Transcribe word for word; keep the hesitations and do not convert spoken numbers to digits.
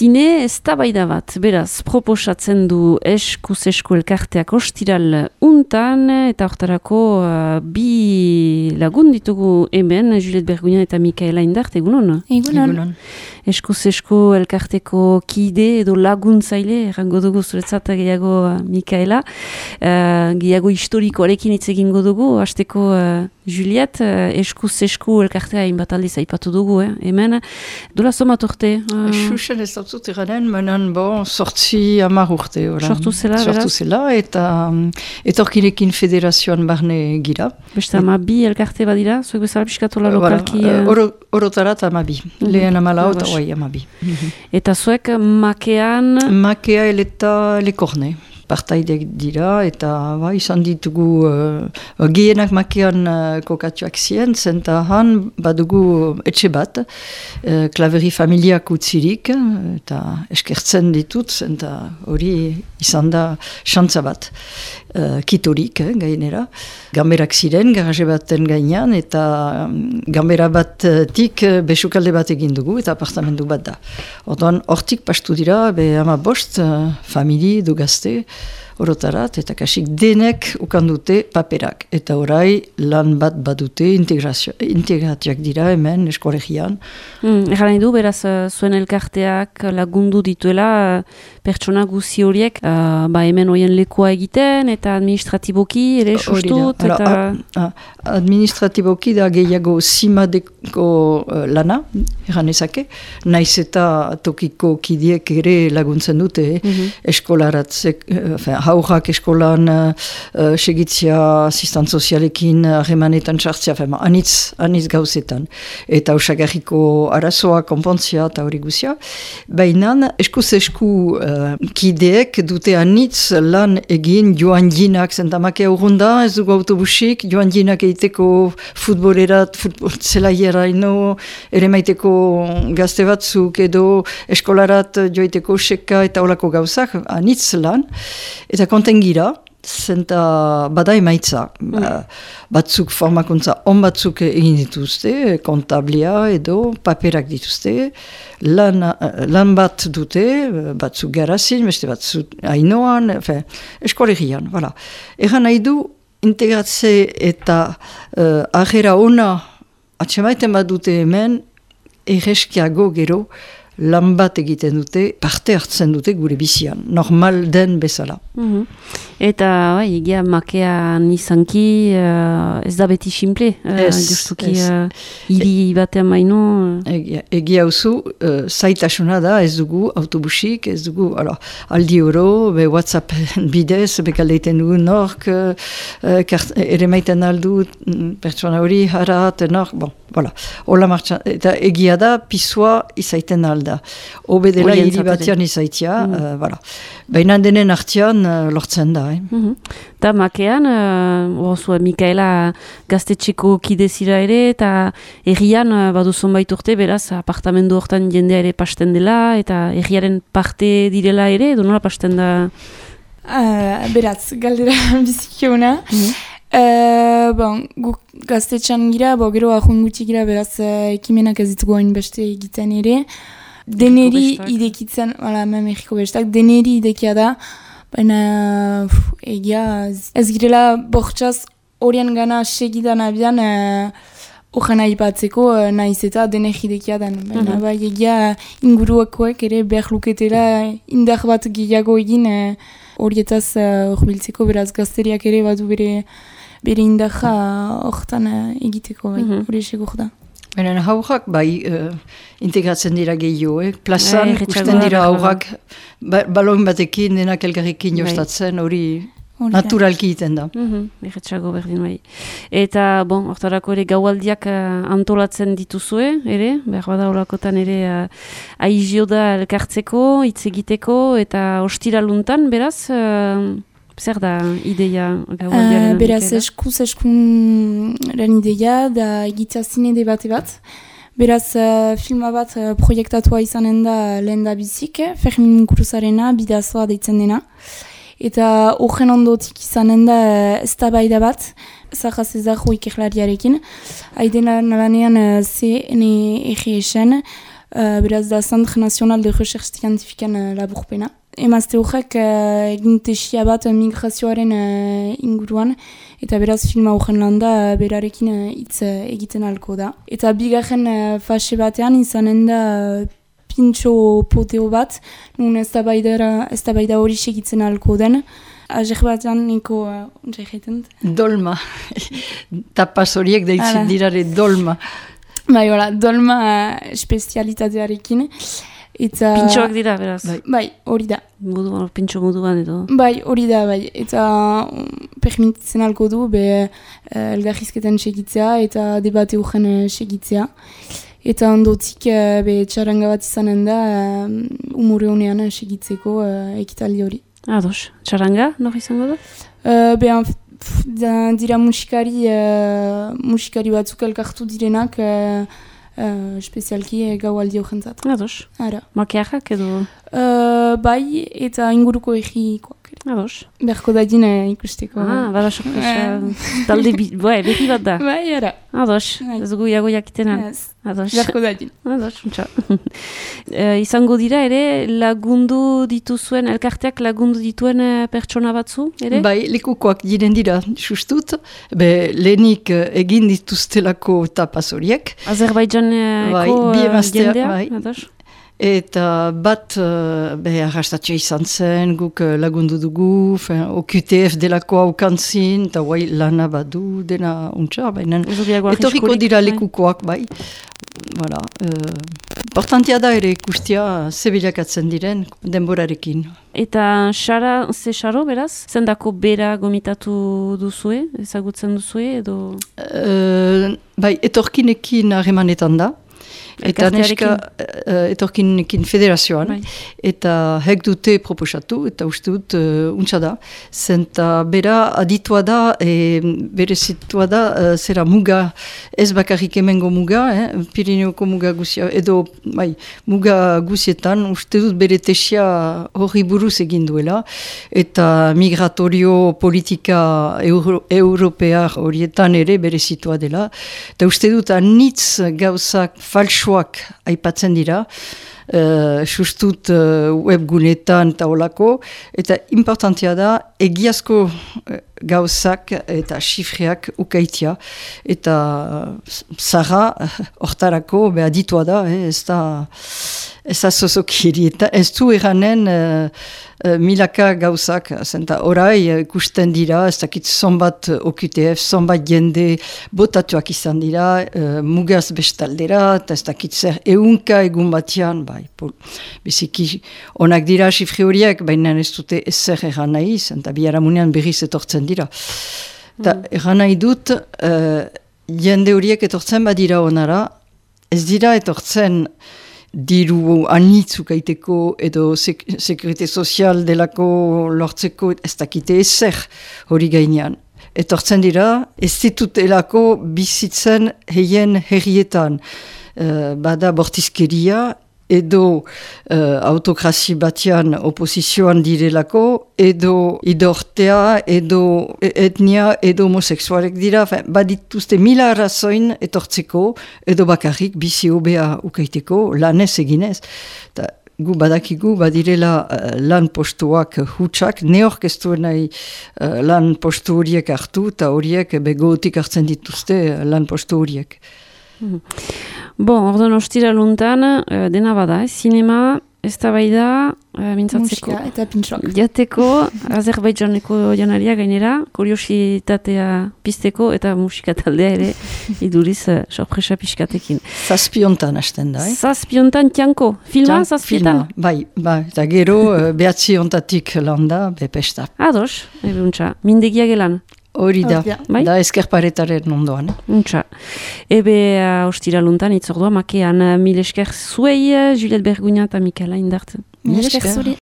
zine ez da baida bat, beraz, proposatzen du eskuz esku elkarteak ostiral untan, eta hortarako uh, bi lagun ditugu hemen, Juliet Bergunian eta Mikaela Indart, egunon? Egunon. Eskuz esku elkarteko kide edo laguntzaile, errango dugu zuretzat gehiago uh, Mikaela, uh, gehiago historikoarekin hitz egingo dugu, hasteko uh, Juliet, uh, eskuz esku elkartea hainbat aldiz aipatu dugu, eh? Hemen, dola somat urte? Uh, Xuxen ez dut zut eranen, menan bon, sortzi amar urte. Sortu zela, Sortu zela, eta um, etorkinekin federazioan barne gira. Beste ama bi elkarte badira, zuek bezala piskatola lokalki... Uh, Oro, orotarat ama bi, mm-hmm. Lehen amala eta ah, oai ama bi. Mm-hmm. Eta zuek makean... Makea eleta lekorne. Partaideak dira, eta ba, izan ditugu uh, gehienak makean uh, kokatuak zien, zenta han badugu etxe bat, uh, klaveri familiak utzirik, eta eskertzen ditut, zenta hori izan da xantza bat, uh, kitorik, eh, gainera. Gamberak ziren, garaje baten gainean, eta um, gambera batik uh, besukalde bat egin dugu, eta apartamentu bat da. Orduan, hortik pastu dira, be ama bost, uh, famili du gazte, orotarat, eta kasik denek ukandute paperak. Eta orai lan bat badute integratiak dira hemen eskolegian. Mm, Egan nahi du, beraz, uh, zuen elkarteak lagundu dituela uh, pertsona guzi horiek, uh, ba hemen oien lekua egiten, eta administratiboki ere sustut, eta... A, a, administratiboki da gehiago simadeko uh, lana, egan ezake, naiz eta tokiko kidiek ere laguntzen dute, mm-hmm. eskolaratzek, uh, haurrak eskolan uh, segitzia asistant sozialekin harremanetan uh, txartzia, fema, anitz, anitz gauzetan. Eta osagarriko arazoa, konpontzia eta hori guzia. Baina eskuz esku uh, kideek dute anitz lan egin joan jinak, zentamake urrunda, ez dugu autobusik, joan jinak egiteko futbolerat, futbol zelaiera ino, ere maiteko gazte batzuk edo eskolarat joiteko seka eta olako gauzak, anitz lan. Eta konten gira, zenta bada emaitza, mm. batzuk formakuntza on batzuk egin dituzte, kontablia edo paperak dituzte, lan, lan bat dute, batzuk garazin, beste batzuk hainoan, eskolegian, voilà. Egan nahi du, integratze eta uh, ahera ona atxemaiten bat dute hemen, erreskiago gero, lan bat egiten dute, parte hartzen dute gure bizian, normal den bezala. Mm-hmm. Eta, bai, egia makean izanki, uh, ez da beti simple, uh, justuki uh, hiri batean baino. Egia, egia usu, uh, zaitasuna da, ez dugu autobusik, ez dugu, alors, aldi oro, be WhatsApp bidez, bekaldeiten dugu nork, uh, kart, ere maiten aldu, pertsona hori, harat, nork, bon, voilà. Ola martxan, eta egia da, pisua izaiten alda. Obe dela hiri batean izaitia, mm. uh, voilà. Baina denen artean uh, lortzen da. Eh? Mm-hmm. Da makean, uh, oso, Mikaela gaztetxeko kidezira ere, eta errian uh, badu zonbait urte, beraz, apartamendu hortan jendea ere pasten dela, eta erriaren parte direla ere, edo nola pasten da? Uh, beraz, galdera bizikiona. Mm-hmm. Uh, bon, guk gaztetxan gira, bo, gero ahun gutxi gira, beraz, uh, ekimenak ez ditugu hain beste egiten ere. Deneri idekitzen, wala, mem egiko bestak, deneri idekia da, baina pff, egia, ez girela bortxaz horien gana segidan abian horren uh, aipatzeko uh, nahiz eta dener idekia den. Baina mm-hmm. bai, egia inguruakoek ere behar luketela indar bat gehiago egin horietaz uh, horbiltzeko, beraz gazteriak ere badu bere, bere indarra horretan uh, egiteko, bai, hori mm-hmm. eseko da. Benen haurrak, bai, uh, integratzen dira gehiago, eh? Plazan, e, usten dira haurrak, ba, balon batekin, denak elgarrekin jostatzen, hori naturalki iten da. Mm-hmm. Erretxago berdin bai. Eta, bon, hortarako ere gaualdiak uh, antolatzen dituzue, ere, behar bada holakotan ere uh, aizio da elkartzeko, hitz egiteko, eta ostiraluntan, beraz... Uh, Zer da ideia gaualdiaren? Uh, beraz, eskuz eskunren ideia da egitea zine debate bat. Beraz, uh, filma bat uh, proiektatua izanen da lehen da bizik, Fermin Cruzarena, bidazoa deitzen dena. Eta horren ondotik izanen da uh, eztabaida bat, Zaha Zezarro ikerlariarekin. Haidena nalanean uh, C N R S-en, uh, beraz da Centre National de Recherche Scientifiquean uh, laburpena. Emazte horrek uh, egin tesia bat migrazioaren uh, inguruan, eta beraz filma horren landa uh, berarekin hitz uh, egiten alko da. Eta bigarren uh, fase batean izanen da uh, pintxo poteo bat, nun ez da baida hori segitzen alko den. Azer batean niko uh, untsa egiten. Dolma. Tapaz horiek deitzen dirare dolma. Bai, hola, dolma uh, espezialitatearekin. Eta... Pintxoak dira, beraz. Bai, bai hori da. Moduan, pintxo moduan edo. Bai, hori da, bai. Eta um, permititzen alko du, be uh, elgarrizketan segitzea eta debate horren uh, segitzea. Eta ondotik, uh, be txaranga bat izanen da, uh, umore honean segitzeko uh, ekitaldi hori. Ados, txaranga, nor izango da? Uh, be, pf, da, dira musikari, uh, musikari batzuk elkartu direnak, uh, uh, espezialki uh, gau aldi horrentzat. Ados, makiarrak edo? Uh, bai, eta inguruko egikoak. Ados. Berko dadin uh, ikusteko. Ah, bada sorpresa. Talde bai, berri bat da. Bai, ara. Ados, ez gu iago jakitenan. Yes. Ados. Berko dadin. Ados, untsa. e, izango dira ere, lagundu dituzuen, elkarteak lagundu dituen pertsona batzu, ere? Bai, lekukoak diren dira, justut. Be, lehenik egin dituztelako tapaz horiek. Azerbaidjaneko bai, jendea? Bai. Ados. Eta bat uh, arrastatxe izan zen, guk uh, lagundu dugu, fin, O Q T F delako haukantzin, eta guai lana badu dena untsa, baina etorriko dira lekukoak, bai. Voilà, uh, importantia da ere ikustia zebilakatzen diren denborarekin. Eta xara, ze xaro beraz? Zendako bera gomitatu duzue, ezagutzen duzue edo? Uh, bai, etorkinekin harremanetan da. Eta neska uh, etorkinekin federazioan, bai. Eta hek dute proposatu, eta uste dut uh, untsa da. Zenta bera aditua da, e, bere zitua da, uh, zera muga, ez bakarrik emengo muga, eh, Pirineoko muga guzia, edo bai, muga guzietan, uste dut bere tesia horri buruz egin duela, eta migratorio politika euro, europear horietan ere bere zitua dela. Eta uste dut anitz gauzak falso aipatzen dira, uh, justut uh, webgunetan eta olako, eta importantia da egiazko uh, gauzak eta xifreak ukaitia, eta uh, zara hortarako uh, aditua da, eh, ez da ez da zozokiri, eta ez du eranen uh, uh, milaka gauzak, zenta orai ikusten uh, dira, ez dakit zonbat O Q T F, zonbat jende botatuak izan dira, uh, mugaz bestaldera, eta ez dakit zer eunka egun batian, bai, pol, biziki onak dira xifre horiek, baina ez dute ezer eran nahi, zenta biharamunean berriz etortzen dira. Eta mm. eran nahi dut, uh, jende horiek etortzen badira onara, ez dira etortzen diru anitzuk aiteko edo sek sekurite sozial delako lortzeko ez dakite ezer hori gainean. Etortzen dira, ez ditutelako bizitzen heien herrietan. Uh, bada bortizkeria edo uh, autokrasi batian oposizioan direlako, edo idortea, edo etnia, edo homoseksualek dira, badituzte mila arrazoin etortzeko, edo bakarrik bizi hobea ukaiteko, lanez eginez. Ta, gu badakigu badirela uh, lan postuak hutsak, neork ez duen nahi uh, lan postu horiek hartu, eta horiek begotik hartzen dituzte uh, lan postu horiek. Bon, orduan ostira luntan, uh, dena bada, eh? Sinema, ez da bai da, uh, mintzatzeko. Musika eta pintxok. Jateko, Azerbaidjaneko janaria gainera, kuriositatea pizteko eta musika taldea ere, iduriz, uh, sorpresa pixkatekin. Zazpiontan hasten da, eh? Zazpiontan tianko, filma zazpietan? Bai, bai, eta gero, uh, behatzi ontatik landa, bepesta. Ados, ebe untxa, mindegia gelan. Hori da, bai? Da eskerparetaren ondoan. Eh? Untxa. Ebe uh, ostira luntan, itzordua, makean uh, mil esker zuei, uh, Juliette Bergugna eta Mikaela Indart. Mil esker zuri.